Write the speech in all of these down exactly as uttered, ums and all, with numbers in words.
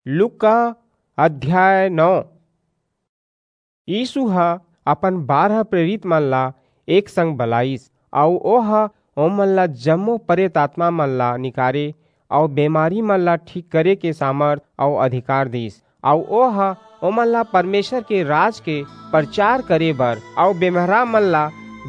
लूका अध्याय नौ। यीसू ह अपन बारह प्रेरित मन ला एक संग बलाइस, अऊ ओह ओमन ला जम्मो परेत आतमा मन ला निकारे अऊ बेमारी मन ला ठीक करे के सामरथ अऊ अधिकार दीस। अऊ ओह ओमन ला परमेसर के राज के परचार करे बर अऊ बेमहरा मन ला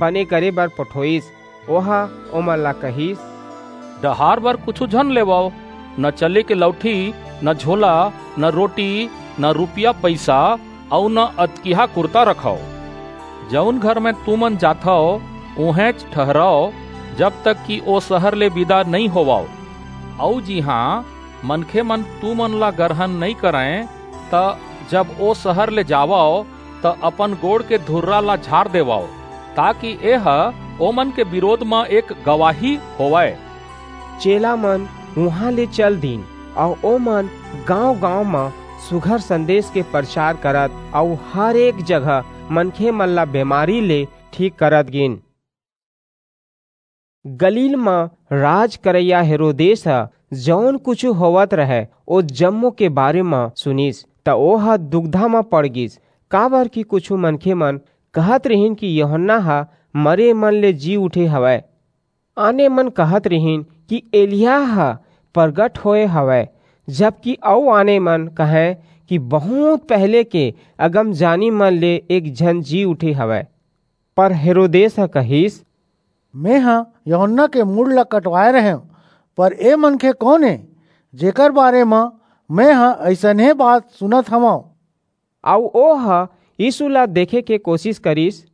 बने करे बर पठोईस। ओह ओमन ला कहिस, डहार बर कुछू झन लेवव, न चले के लउठी, न झोला, न रोटी, न रूपिया पइसा, अऊ न अतकिहा कुरता रखव। जऊन घर म तुमन जाथव, उहेंच ठहरव, जब तक कि ओ सहर ले बिदा नइं होवव। अऊ जिहां मनखेमन तुमन ला गरहन नइं करंय, त जब ओ सहर ले जावव, त अपन गोड़ के धुर्रा ला झार देवव, ताकि एह ओमन के बिरोध म एक गवाही होवय। चेलामन उहां ले चल दीन, अऊ ओमन गांव-गांव म सुघर संदेस के परचार करत अऊ हर एक जगह मनखेमन ला बेमारी ले ठीक करत गीन। गलील म राज करइया हेरोदेस ह जऊन कुछू होवत रहय, ओ जम्मो के बारे म सुनिस, त ओह दुबिधा म पड़ गीस, काबरकि कुछू मनखेमन कहत रिहिन कि यूहन्ना ह मरेमन ले जी उठे हवय। आनेमन कहत रिहिन कि एलिय्याह ह परगट होय हवय, जबकि अऊ आनेमन कहंय कि बहुंत पहिली के अगमजानीमन ले एक झन जी उठे हवय। पर हेरोदेस ह कहिस, मेंह यूहन्ना के मूड़ ला कटवाय रहेंव, पर ए मनखे कोन ए, जेकर बारे म मेंह अइसनहे बात सुनत हवंव? अऊ ओह यीसू ला देखे के कोसिस करिस।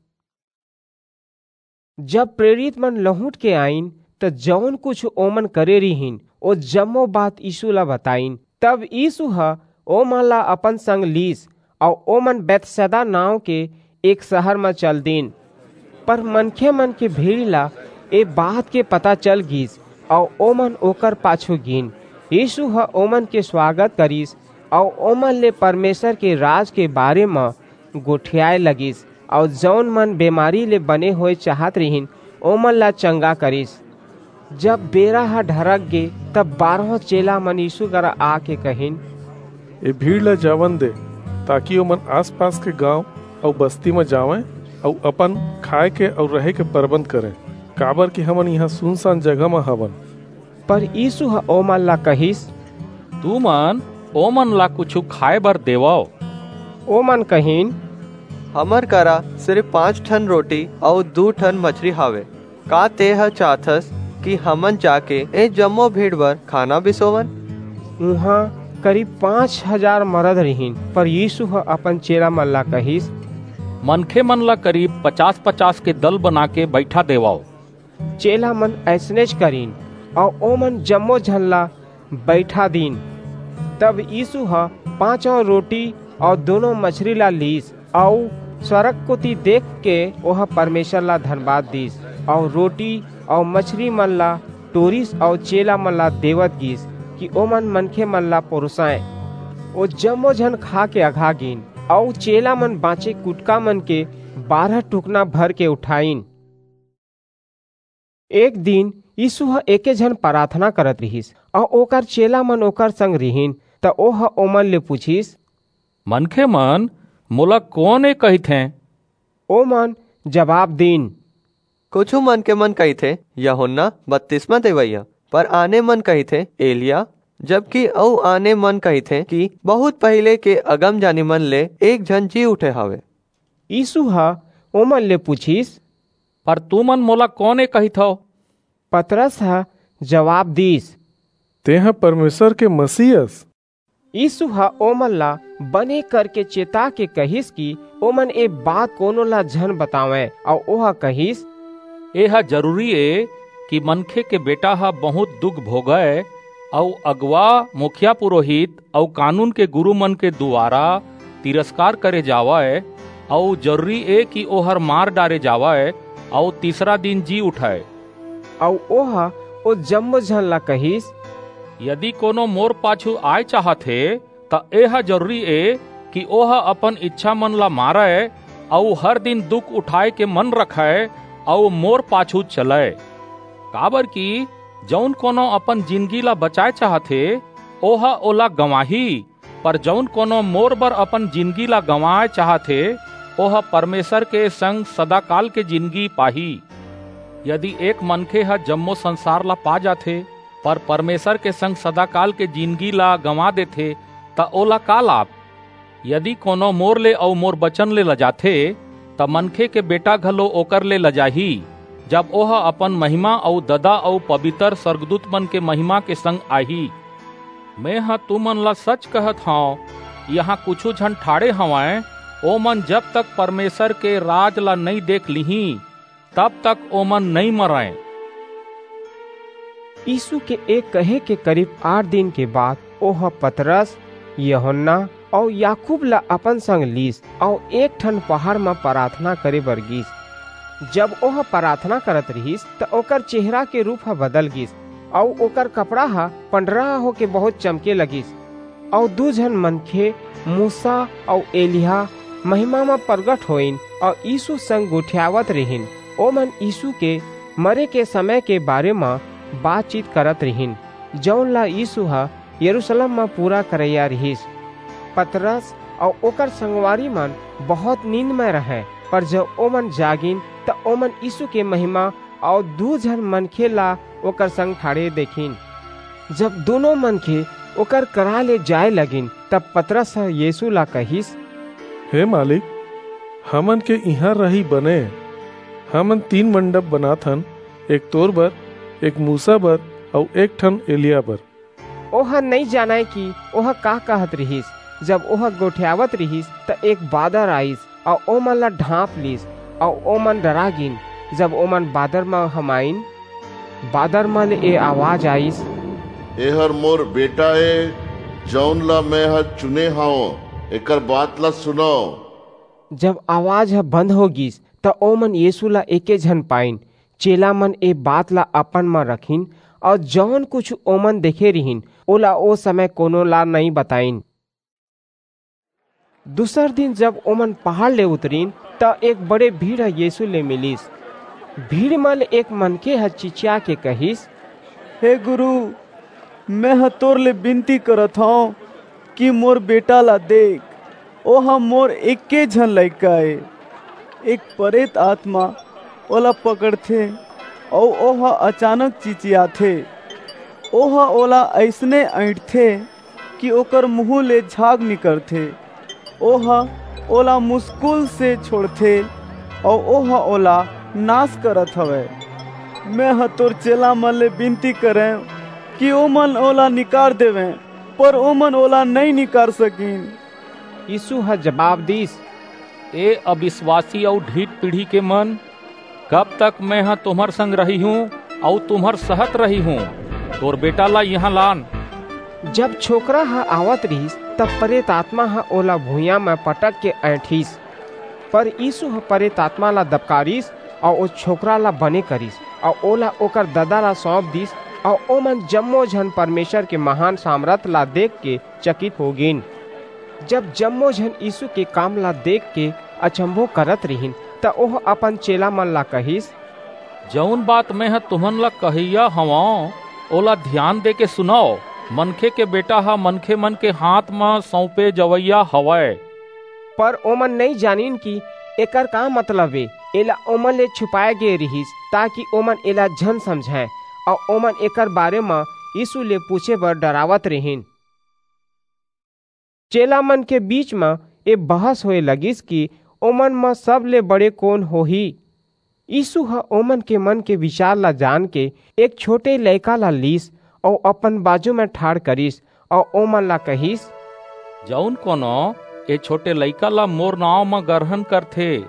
जब प्रेरितमन लहुंट के आईन, त जऊन कुछू ओमन करे रिहिन, ओ जम्मो बात यीसू ला बताईन। तब यीसू ह ओमन ला अपन संग लीस, अऊ ओमन बेतसैदा नांव के एक सहर म चल दीन। पर मनखेमन के भीड़ ला ए बात के पता चल गीस, अऊ ओमन ओकर पाछू गीन। यीसू ह ओमन के सुवागत करिस, अऊ ओमन ले परमेसर के राज के बारे म गोठियाय लगिस, अऊ जऊन मन बेमारी ले बने होय चाहत रिहिन, ओमन ला चंगा करिस। जब बेरा ह ढरक गे, तब बारहों चेलामन यीसू करा आके कहिन, ए भीड़ ला जावन दे, ताकि ओमन आसपास के गांव अऊ बस्ती म जावंय अऊ अपन खाय के अऊ रहे के परबंध करंय, काबरकि हमन इहां सुनसान जगह म हवन। पर यीसू ह ओमन ला कहिस, तुमन ओमन ला कुछू खाय बर देवव। ओमन कहिन, हमर करा सिरिप पांच ठन रोटी अऊ दू ठन मछरी हावय। का तेंह चाहथस कि हमन जाके ए जम्मो भीड़ बर खाना बिसोवन? उहां करीब पांच हजार मरद रिहिन, पर यीसू ह अपन चेलामन ला कहिस, मनखेमन ला करीब पचास-पचास के दल बनाके बईठा देवव। चेलामन अइसनेच करिन, अऊ ओमन जम्मो झन ला बईठा दीन। तब यीसू ह पांचों रोटी अऊ दूनों मछरी ला लीस, अऊ स्वरग कोति देखके ओह परमेसर ला धनबाद दीस, अऊ रोटी अऊ मछरीमन ला टोरिस अऊ चेलामन ला देवत गीस कि ओमन मनखेमन ला परोसंय। ओ जम्मो झन खाके अघा गीन, अऊ चेलामन बांचे कुटकामन के बारह टुकना भरके उठाईन। एक दिन यीसू ह एके झन पराथना करत रिहिस, अऊ ओकर चेलामन ओकर संग रिहिन, त ओह ओमन ले पुछिस, मनखेमन मोला कोन ए कहिथें? ओमन जबाब दीन, कुछू मनखेमन कहिथें, यूहन्ना बतिसमा देवइया, पर आनेमन कहिथें, एलिय्याह, जबकि अऊ आनेमन कहिथें कि बहुंत पहिली के अगमजानीमन ले एक झन जी उठे हवय। यीसू ह ओमन ले पुछिस, पर तुमन मोला कोन ए कहिथव? पतरस ह जबाब दीस, तेंह परमेसर के मसीह अस। यीसू ह ओमन ला बने करके चेताके कहिस कि ओमन ए बात कोनो ला झन बतावंय, अऊ ओह कहिस, एह जरूरी ए कि मनखे के बेटा ह बहुंत दुख भोगय, अऊ अगुवा, मुखिया पुरोहित अऊ कानून के गुरूमन के दुवारा तिरस्कार करे जावय, अऊ जरूरी ए कि ओह मार डारे जावय, अऊ तीसरा दिन जी उठय। अऊ ओह ओ जम्मो झन ला कहिस, यदि कोनो मोर पाछू आय चाहत हे, त एह जरूरी ए कि ओह अपन इच्छामन ला मारय, अऊ हर दिन दुख उठाय के मन रखय, अऊ मोर पाछू चलय। काबरकि जऊन कोनो अपन जिनगी ला बचाय चाहत हे, ओह ओला गंवाही, पर जऊन कोनो मोर बर अपन जिनगी ला गंवाय चाहत हे, ओह परमेसर के संग सदाकाल के जिनगी पाही। यदि एक मनखे ह जम्मो संसार ला पा जाथे, पर परमेसर के संग सदाकाल के जिनगी ला गंवा देथे, त ओला का लाभ? यदि कोनो मोर ले अऊ मोर बचन ले लजाथे, त मनखे के बेटा घलो ओकर ले लजाही, जब ओह अपन महिमा अऊ ददा अऊ पबितर सरगदूतमन के महिमा के संग आही। मेंह तुमन ला सच कहत हंव, इहां कुछू झन ठाढ़े हवंय, ओमन जब तक परमेसर के राज ला नइं देख लिहीं, तब तक ओमन नइं मरंय। यीसू के ए कहे के करीब आठ दिन के बाद ओह पतरस, यूहन्ना अऊ याकूब ला अपन संग लीस अऊ एक ठन पहाड़ म पराथना करे बर गीस। जब ओह पराथना करत रिहिस, त ओकर चेहरा के रूप ह बदल गीस अऊ ओकर कपड़ा ह पंडरहा होके बहुंत चमके लगिस। अऊ दू झन मनखे, मूसा अऊ एलिय्याह, महिमा म परगट होइन अऊ यीसू संग गोठियावत रिहिन। ओमन यीसू के मरे के समय के बारे म बातचीत करत रिहिन, जऊन ला यीसू ह यरूसलेम म पूरा करइया रिहिस। पतरस अऊ ओकर संगवारीमन बहुंत नींद म रहंय, पर जब ओमन जागिन, त ओमन यीसू के महिमा अऊ दू झन मनखे ला ओकर संग ठाढ़े देखिन। जब दूनों मनखे ओकर करा ले जाय लगिन, तब पतरस ह यीसू ला कहिस, "हे मालिक, हमन के इहां रही बने। हमन तीन मंडप बनाथन, एक तोर बर, एक मूसा बर अऊ एक ठन एलिय्याह बर।" ओह नइं जानय कि ओह का कहत रिहिस। जब ओह गोठियावत रिहिस, त एक बादर आईस अऊ ओमन ला ढांप लीस अऊ ओमन डरा गीन। जब ओमन बादर म हमाइन, बादर म ले ए आवाज आईस, "एहर मोर बेटा ए, जऊन ला मेंह चुने हंव, एकर बात ला सुनव।" जब आवाज ह बंद हो गीस, त ओमन यीसू ला एके झन पाइन। चेलामन ए बात ला अपन म रखिन अऊ जऊन कुछू ओमन देखे रिहिन, ओला ओ समय कोनो ला नइं बताइन। दूसर दिन जब ओमन पहाड़ ले उतरिन, त एक बड़े भीड़ ह यीसू ले मिलिस। भीड़ म ले एक मनखे ह चिचिया के कहिस, "हे गुरू, मेंह तोर ले बिनती करत हंव कि मोर बेटा ला देख, ओह मोर एके झन लइका ए। एक परेत आतमा ओला पकड़थे अऊ ओह अचानक चिचियाथे। ओह ओला अइसने अइंठथे कि ओकर मुहूं ले झाग निकरथे। ओह ओला मुसकुल से छोंड़थे अऊ ओह ओला नास करत हवय। मेंह तोर चेलामन ले बिनती करेंव कि ओमन ओला निकार देवें, पर ओमन ओला नइं निकार सकिन।" यीसू ह जबाब दीस, "ए अबिसवासी अऊ ढीठ पीढ़ी के मन, कब तक मेंह तुम्हर संग रहिहूं अऊ तुम्हर सहत रहिहूं? तोर बेटा ला इहां लान।" जब छोकरा ह आवत रिहिस, तब परेत आतमा ह ओला भुइयां म पटक के अइंठिस। पर यीसू ह परेत आतमा ला दबकारिस अऊ ओ छोकरा ला बने करिस अऊ ओला ओकर ददा ला सौंप दीस। अऊ ओमन जम्मो झन परमेसर के महान सामरथ ला देखके चकित हो गीन। जब जम्मो झन यीसू के काम ला देखके अचम्भो करत रिहिन, त ओह अपन चेलामन ला कहिस, "जऊन बात मेंह तुमन ला कहइया हवंव, ओला धियान देके सुनव। मनखे के बेटा ह मनखेमन के हांथ म सऊंपे जवइया हवय।" पर ओमन नइं जानिन कि एकर का मतलब ए। एला ओमन ले छुपाय गे रिहिस, ताकि ओमन एला झन समझंय, अऊ ओमन एकर बारे म यीसू ले पूछे बर डरावत रिहिन। चेलामन के बीच म ए बहस होय लगिस कि ओमन म सबले बड़े कोन होही। यीसू ह ओमन के मन के बिचार ला जानके एक छोटे लइका ला लीस अऊ अपन बाजू म ठाढ़ करिस अऊ ओमन ला कहिस, "जऊन कोनो ए छोटे लइका ला मोर नांव म गरहन करथे,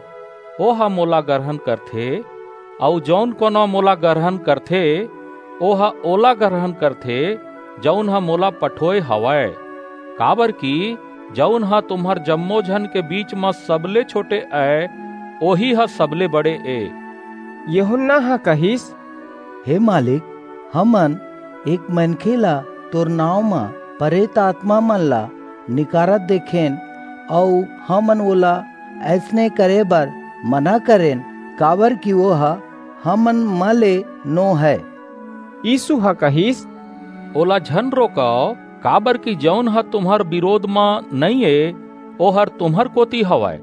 ओह मोला गरहन करथे, अऊ जऊन कोनो मोला गरहन करथे, ओह ओला गरहन करथे, जऊन ह मोला पठोय हवय। काबरकि जऊन ह तुम्हर जम्मो झन के बीच म सबले छोटे अय, ओही ह सबले बड़े ए।" यूहन्ना ह कहिस, "हे मालिक, हमन एक मनखे ला तोर नांव म परेत आतमामन ला निकारत देखेन, अऊ हमन ओला अइसने करे बर मना करेन, काबरकि ओह हमन म ले नो हय।" यीसू ह कहिस, "ओला झन रोकव, काबर कि जऊन ह तुम्हर बिरोध म नइं ए, ओहर तुम्हर कोति हवय।"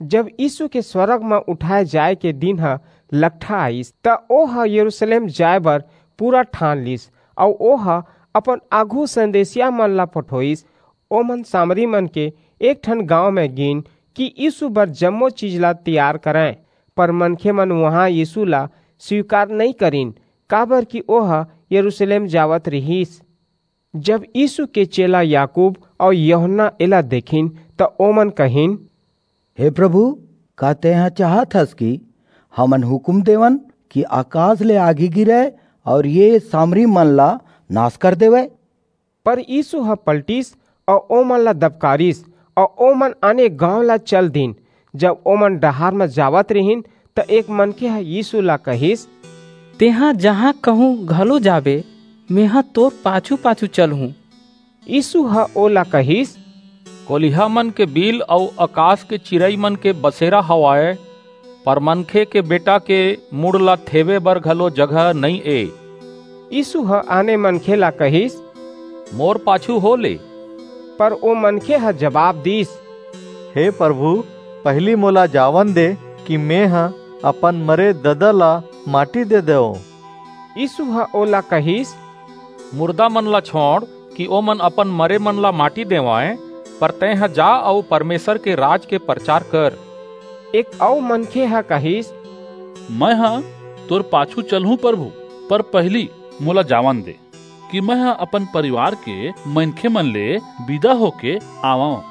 जब यीसू के स्वरग म उठाय जाय के दिन ह लकठा आईस, त ओह यरूसलेम जाय बर पूरा ठान लीस, अऊ ओह अपन आघू संदेसियामन ला पठोईस। ओमन सामरीमन के एक ठन गांव म गीन कि यीसू बर जम्मो चीज ला तियार करंय, पर मनखेमन उहां यीसू ला स्वीकार नइं करिन, काबरकि ओह यरूसलेम जावत रिहिस। जब यीसू के चेला याकूब अऊ यूहन्ना एला देखिन, त ओमन कहिन, "हे प्रभु, का तेंह चाहत हस कि हमन हुकूम देवन कि अकास ले आगी गिरय अऊ ये सामरीमन ला नास कर देवय?" पर यीसू ह पलटिस अऊ ओमन ला दबकारिस, अऊ ओमन आने गांव ला चल दीन। जब ओमन डहार म जावत रिहिन, त एक मनखे ह यीसू ला कहिस, "तेंह जहां कहूं घलो जाबे, मेंह तोर पाछू-पाछू चलहूं।" यीसू ह ओला कहिस, "कोलिहामन के बिल अऊ अकास के चिरईमन के बसेरा हवय, पर मनखे के बेटा के मुड़ ला थेवे बर घलो जगह नइं ए।" यीसू ह आने मनखे ला कहिस, "मोर पाछू हो ले।" पर ओ मनखे ह जबाब दीस, "हे प्रभु, पहिली मोला जावन दे कि मेंह अपन मरे ददा ला माटी दे देवंव।" यीसू ह ओला कहिस, "मुरदामन ला छोंड़ कि ओमन अपन मरेमन ला माटी देवंय, पर तेंह जा अऊ परमेसर के राज के परचार कर।" एक अऊ मनखे ह कहिस, "मेंह तोर पाछू चलहूं प्रभु, पर पहिली मोला जावन दे कि मेंह अपन परिवार के मनखेमन ले बिदा होके आवंव।"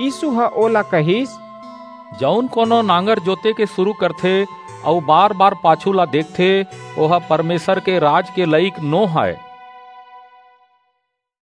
यीसू ह ओला कहिस, "जऊन कोनो नांगर जोते के सुरू करथे अऊ बार-बार पाछू ला देखथे, ओह परमेसर के राज के लईक नो हय।"